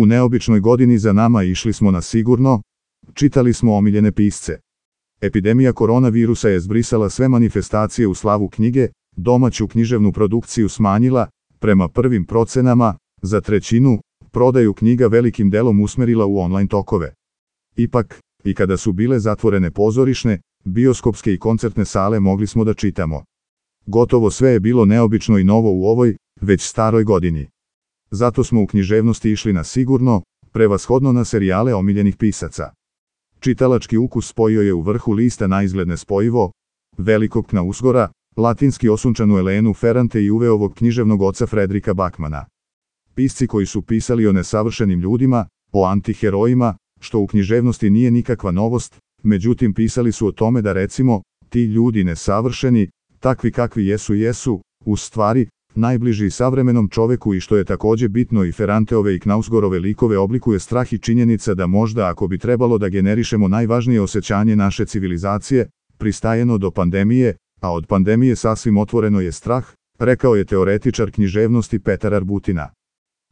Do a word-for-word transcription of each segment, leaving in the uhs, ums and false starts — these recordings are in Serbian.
U neobičnoj godini za nama išli smo na sigurno, čitali smo omiljene pisce. Epidemija koronavirusa je zbrisala sve manifestacije u slavu knjige, domaću književnu produkciju smanjila, prema prvim procenama, za trećinu, prodaju knjiga velikim delom usmerila u online tokove. Ipak, i kada su bile zatvorene pozorišne, bioskopske i koncertne sale mogli smo da čitamo. Gotovo sve je bilo neobično i novo u ovoj, već staroj godini. Zato smo u književnosti išli na sigurno, prevashodno na serijale omiljenih pisaca. Čitalački ukus spojio je u vrhu lista naizgled nespojivo, velikog Knausgora, latinski osunčanu Elenu Ferrante i Uveovog književnog oca Fredrika Bakmana. Pisci koji su pisali o nesavršenim ljudima, o antiherojima, što u književnosti nije nikakva novost, međutim pisali su o tome da recimo, ti ljudi nesavršeni, takvi kakvi jesu jesu, u stvari, najbliži savremenom čoveku i što je takođe bitno i Ferranteove i Knausgorove likove oblikuje strah i činjenica da možda ako bi trebalo da generišemo najvažnije osjećanje naše civilizacije, pristajeno do pandemije, a od pandemije sasvim otvoreno je strah, rekao je teoretičar književnosti Petar Arbutina.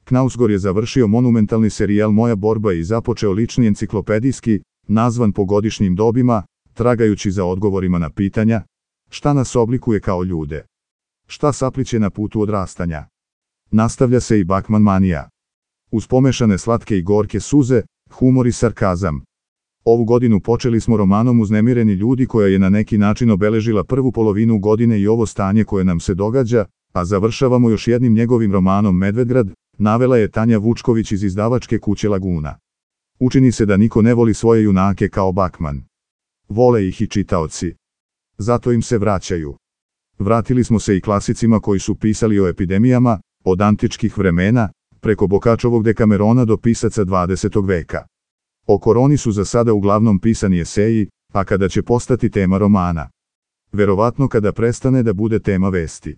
Knausgor je završio monumentalni serijal Moja borba i započeo lični enciklopedijski, nazvan po godišnjim dobima, tragajući za odgovorima na pitanja, šta nas oblikuje kao ljude? Šta sapliće na putu odrastanja? Nastavlja se i Bakman manija. Uz pomešane slatke i gorke suze, humor i sarkazam. Ovu godinu počeli smo romanom Uznemireni ljudi koja je na neki način obeležila prvu polovinu godine i ovo stanje koje nam se događa, a završavamo još jednim njegovim romanom Medvedgrad, navela je Tanja Vučković iz izdavačke kuće Laguna. Učini se da niko ne voli svoje junake kao Bakman. Vole ih i čitaoci. Zato im se vraćaju. Vratili smo se i klasicima koji su pisali o epidemijama, od antičkih vremena, preko Bokačovog Dekamerona do pisaca dvadesetog veka. O koroni su za sada uglavnom pisani eseji, a kada će postati tema romana? Verovatno kada prestane da bude tema vesti.